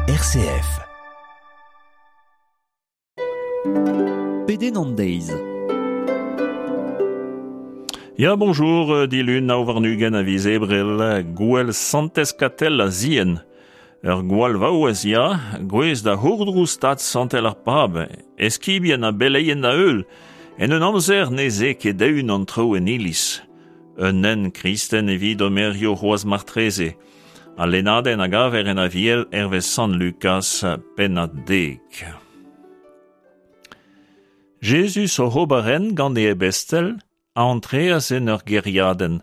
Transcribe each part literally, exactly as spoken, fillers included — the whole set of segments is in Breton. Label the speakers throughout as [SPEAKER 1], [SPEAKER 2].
[SPEAKER 1] R C F.
[SPEAKER 2] Pedenn an deiz.
[SPEAKER 3] Ya, bonjour, dilun nav warn-ugent a viz Ebrel, gouel Santez Katell a Zien. Ur gwall vaouez ya, gwez da c'hourdrouz stad santel ar pab, eskibien ha beleien da heul, en un amzer ne ze ket eeun an traoù en iliz. Un nen kristen evit omerio c'hoazh martreze. Al lennadenn a gaver en aviel hervez Sant Lukas pennad dek. Jezuz oc'h ober hent gant e ebestel a antreas en ur gêriadenn.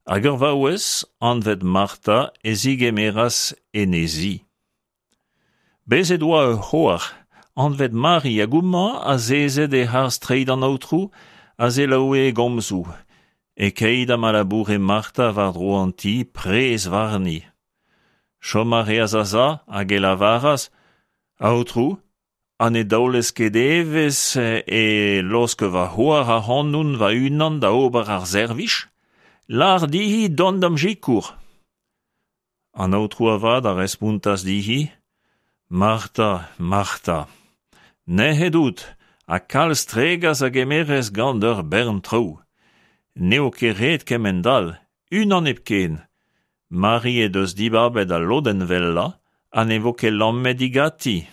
[SPEAKER 3] Hag ur vaouez, anvet Marta, e zigemeras en he zi. Bezet oa ur c'hoar, anvet Mari hag houmañ azezet e-harz treid an Aotrou, a selaoue e gomzoù, e-keit ha ma laboure Marta war-dro an ti prez warni. Chom a reas a-za hag e lavaras, Aotrou, ha ne daolez ket evezh e laosk va c'hoar ac'hanon va-unan da ober ar servij? Lar dihi dont da'm sikour. An Aotrou avat a respontas dihi, Marta, Marta, nec'het out ha kalz tregas a gemerez gant ur bern traoù. N'eo ket ret kement-all, unan hepken. Mari he deus dibabet al lodenn wellañ ha ne vo ket lammet digati.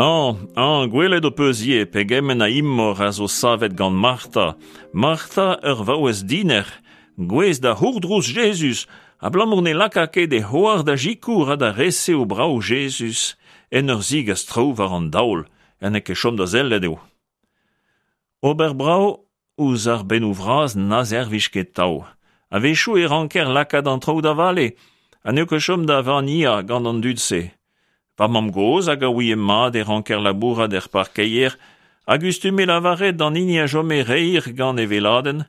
[SPEAKER 3] Ah, ah, gwelet ho peus ivez pegement a imor a zo savet gant Marta. Marta ur vaouez diner, gouez da c'hourdrouz Jezuz, abalamour ne laka ket e c'hoar da sikour ha da resev brav Jezuz, en ur zigas traoù war an daol, ha n'eo ket chom da sellet eo. Ober brav ouzh ar bennoù vras na servij ket tav. A-wechoù e ranker lakaat an traoù da vale, ha n'eo ket chom da vaniañ gant an dud-se. Va mamm-gozh hag a ouie mat e ranker labourat er parkeier, hag gustume lavaret d'an hini a chome reir gant e veladenn.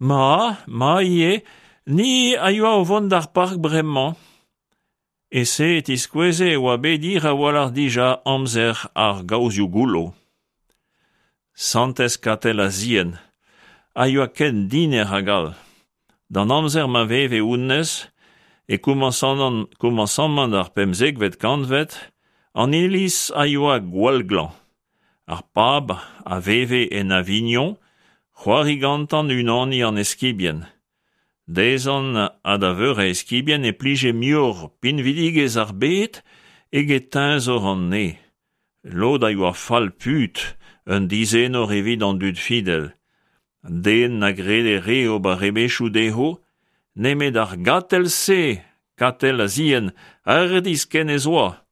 [SPEAKER 3] Ma, ma ivez, ni a yoa o vont d'ar park bremañ. E se e tiskoueze e oa bet hir a-walc'h dija amzer ar gaozioù goullo. Santez Katell a Zien a yoa ken diner hag all. D'an amzer ma veve hounnezh, e komañsamant ar pemzekvet kantved, an iliz a yoa gwall glañv. Ar pab a veve en Avignon, c'hoari gantañ unaniñ an eskibien. Dezhan ha da veur a eskibien e plije muioc'h pinvidigezh ar bed eget teñzor an neñv. Lod a yoa fall put, un dizenor evit an dud fidel. Den na grede re ober rebechoù dezho, nemet ar Gatell-se, Katell a Zien, hardizh ken ez oa.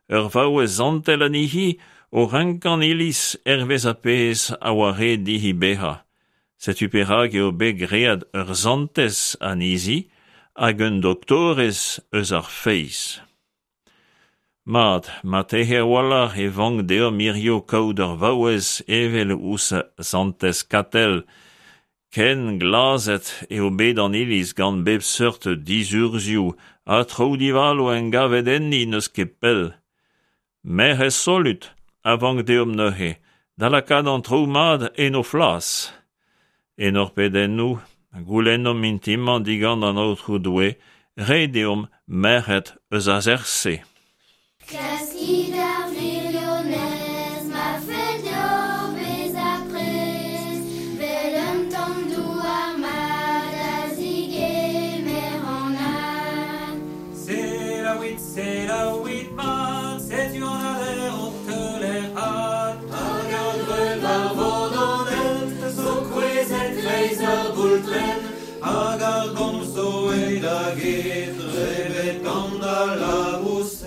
[SPEAKER 3] Ur vaouez santel anezhi o renkañ iliz hervez ar pezh a oa ret dihi bezañ. Setu perak eo bet graet ur santez anezhi hag un doktorez eus ar feiz. Mat, marteze a-walc'h e vank deomp hiziv kaout ur vaouez evel ouzh santez Katell. Ken glazet eo bet an iliz gant bep seurt dizurzhioù ha traoù divalo engavet enni n'eus ket pell. Merc'hed solut a vank deomp neuze, da lakaat an traoù mat en o flas. En hor pedennoù, goulennomp intimañ digant an Aotrou Doue, reiñ deomp merc'hed eus ar seurt-se.
[SPEAKER 4] Klaskit ar wirionez, ma fell deoc'h bezañ prest, 'vel un tamm douar mat a zigemer an had.
[SPEAKER 5] Selaouit, selaouit mat, setu an ader o teuler had. Hag ar greun war vord an hent zo kouezhet 'kreiz ur boultrenn, hag ar gomz zo aet da get, drebet gant al laboused.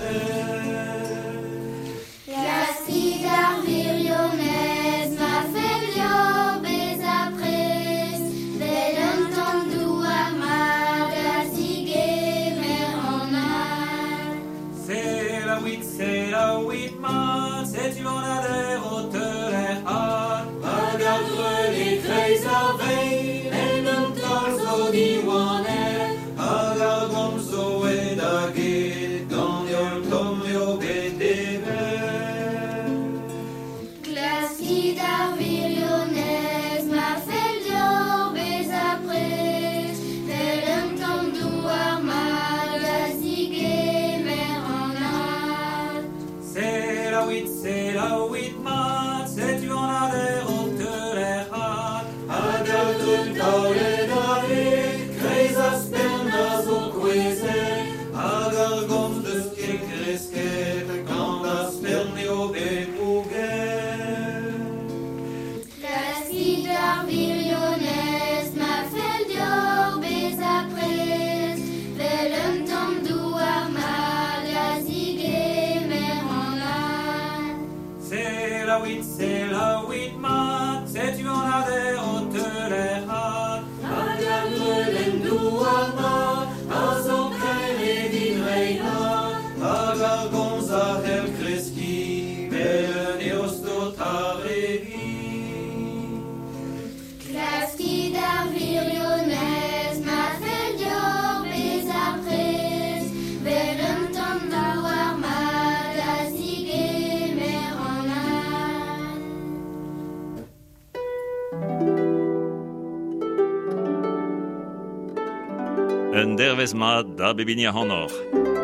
[SPEAKER 3] Un dervez mat da bep hini ac'hanoc'h.